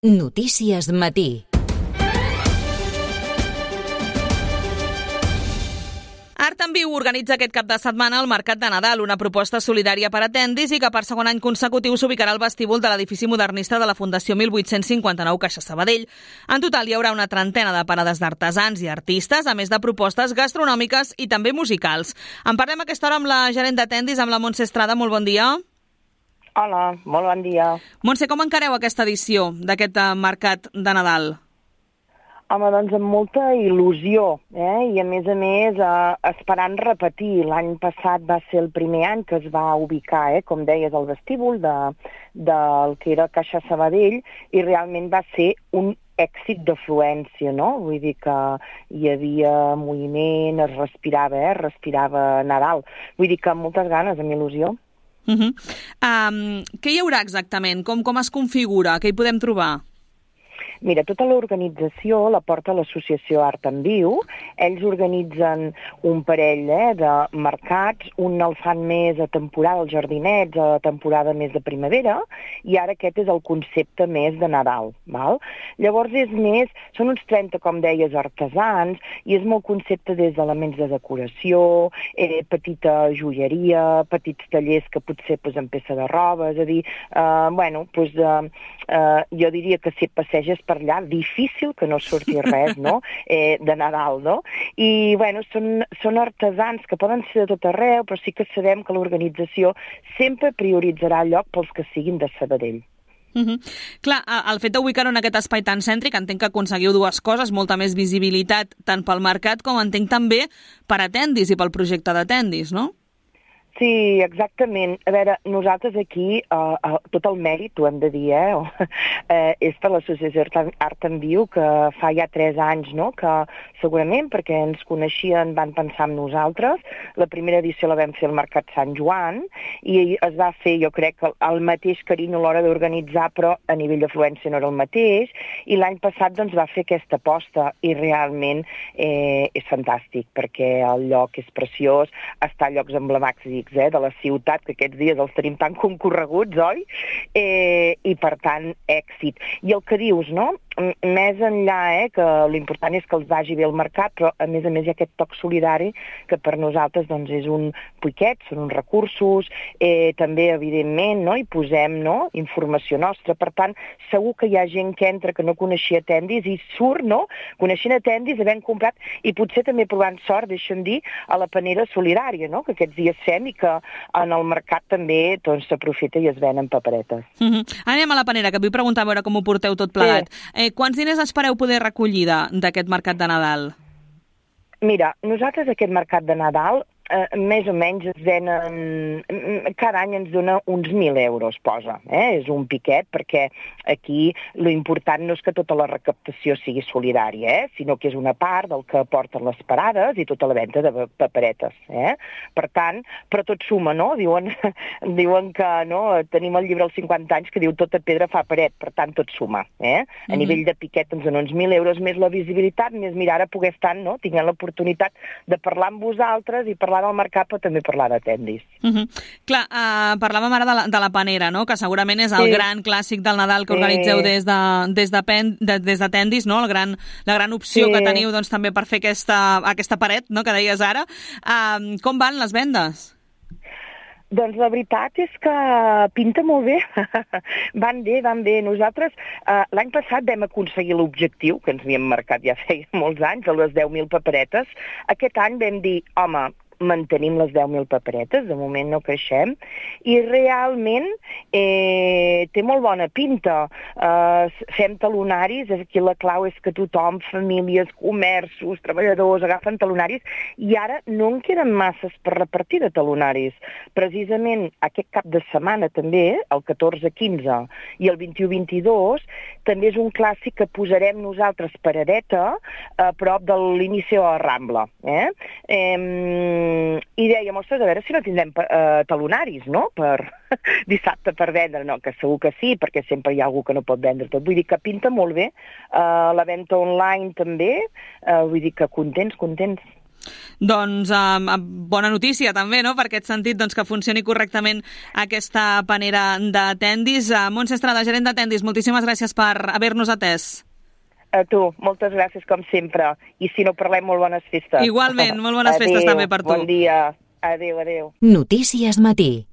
Notícies Matí. Art en Viu organitza aquest cap de setmana el Mercat de Nadal, una proposta solidària per a tendis i que per segon any consecutiu s'ubicarà al vestíbul de l'edifici modernista de la Fundació 1859 Caixa Sabadell. En total hi haurà una trentena de parades d'artesans i artistes, a més de propostes gastronòmiques i també musicals. En parlem a aquesta hora amb la gerent de tendis, amb la Montse Estrada. Molt bon dia. Hola, molt bon dia. Montse, com encareu aquesta edició d'aquest Mercat de Nadal? Home, doncs amb molta il·lusió, i a més esperant repetir. L'any passat va ser el primer any que es va ubicar, com deies, al vestíbul del que era Caixa Sabadell, i realment va ser un èxit d'afluència, no? Vull dir que hi havia moviment, es respirava Nadal. Vull dir que amb moltes ganes, amb il·lusió. Què hi haurà exactament? Com es configura? Què hi podem trobar? Mira, tota l'organització la porta l'associació Art en Viu. Ells organitzen un parell de mercats, un el fan més a temporada, els jardinets, a temporada més de primavera, i ara aquest és el concepte més de Nadal. Val? Llavors són uns 30, com deies, artesans, i és molt concepte des d'elements de decoració, petita joieria, petits tallers que potser en peça de roba, és a dir, jo diria que si et passeges per allà, difícil que no surti res, no? De Nadal, no? I, són artesans que poden ser de tot arreu, però sí que sabem que l'organització sempre prioritzarà lloc pels que siguin de Sabadell. Clar, el fet d'ubicar-ho en aquest espai tan cèntric, entenc que aconseguiu dues coses, molta més visibilitat tant pel mercat com entenc també per a tendis i pel projecte de tendis, no? Sí, exactament. A veure, nosaltres aquí, tot el mèrit, ho hem de dir, és per l'associació Art en Viu, que fa ja 3 anys, no?, que segurament, perquè ens coneixien, van pensar en nosaltres. La primera edició la vam fer al Mercat Sant Joan, i es va fer, jo crec, el mateix carinyo a l'hora d'organitzar, però a nivell d'afluència no era el mateix, i l'any passat doncs, va fer aquesta aposta, i realment és fantàstic, perquè el lloc és preciós, està a llocs emblemàtics de la ciutat, que aquests dies els tenim tan concorreguts, oi? I per tant, èxit. I el que dius, no? Més enllà, que l'important és que els vagi bé al mercat, però a més hi ha aquest toc solidari que per nosaltres doncs, és un piquet, són uns recursos, també, evidentment, no? Hi posem informació nostra. Per tant, segur que hi ha gent que entra que no coneixia tendis i surt, no? Coneixent a tendis, havent comprat, i potser també provant sort, deixa'm dir, a la panera solidària, no? Que aquests dies fem i que en el mercat també s'aprofita i es venen paperetes. Anem a la panera, que vull preguntar a veure com ho porteu tot plegat. Quants diners espereu poder recollir d'aquest mercat de Nadal? Mira, nosaltres aquest mercat de Nadal més o menys es venen, cada any ens dona uns 1.000 euros, posa. És un piquet, perquè aquí l'important no és que tota la recaptació sigui solidària, sinó que és una part del que aporten les parades i tota la venda de paperetes. Per tant, però tot suma, no? Diuen que tenim el llibre als 50 anys que diu tota pedra fa paret, per tant tot suma. A nivell de piquet ens dona uns 1.000 euros més la visibilitat, més mirar ara poder estar, tinguent l'oportunitat de parlar amb vosaltres i parlar del mercat, però també parlar de tendis. Clar, parlàvem ara de la panera, no? Que segurament és el gran clàssic del Nadal que organitzeu des de tendis, no? La gran opció que teniu doncs, també per fer aquesta paret, no? Que deies ara. Com van les vendes? Doncs la veritat és que pinta molt bé. Van bé. Nosaltres l'any passat vam aconseguir l'objectiu, que ens havíem marcat ja feia molts anys, de les 10.000 paperetes. Aquest any vam dir, home, mantenim les 10.000 paperetes, de moment no creixem, i realment té molt bona pinta. Fem talonaris, aquí la clau és que tothom, famílies, comerços, treballadors, agafen talonaris, i ara no en queden masses per repartir de talonaris. Precisament aquest cap de setmana també, el 14-15 i el 21-22, també és un clàssic que posarem nosaltres paradeta a prop de l'inici de la Rambla. I dèiem, ostres, a veure si no tindrem talonaris, no?, per dissabte per vendre. No, que segur que sí, perquè sempre hi ha algú que no pot vendre tot. Vull dir que pinta molt bé. La venda online també, vull dir que contents. Doncs bona notícia també, no?, per aquest sentit, doncs, que funcioni correctament aquesta panera de Tendis. Montse Estrada, gerent de Tendis, moltíssimes gràcies per haver-nos atès. A tu, moltes gràcies com sempre. I si no parlem, molt bones festes. Igualment, molt bones festes també per tu. Bon dia. Adéu, adéu. Notícies Matí.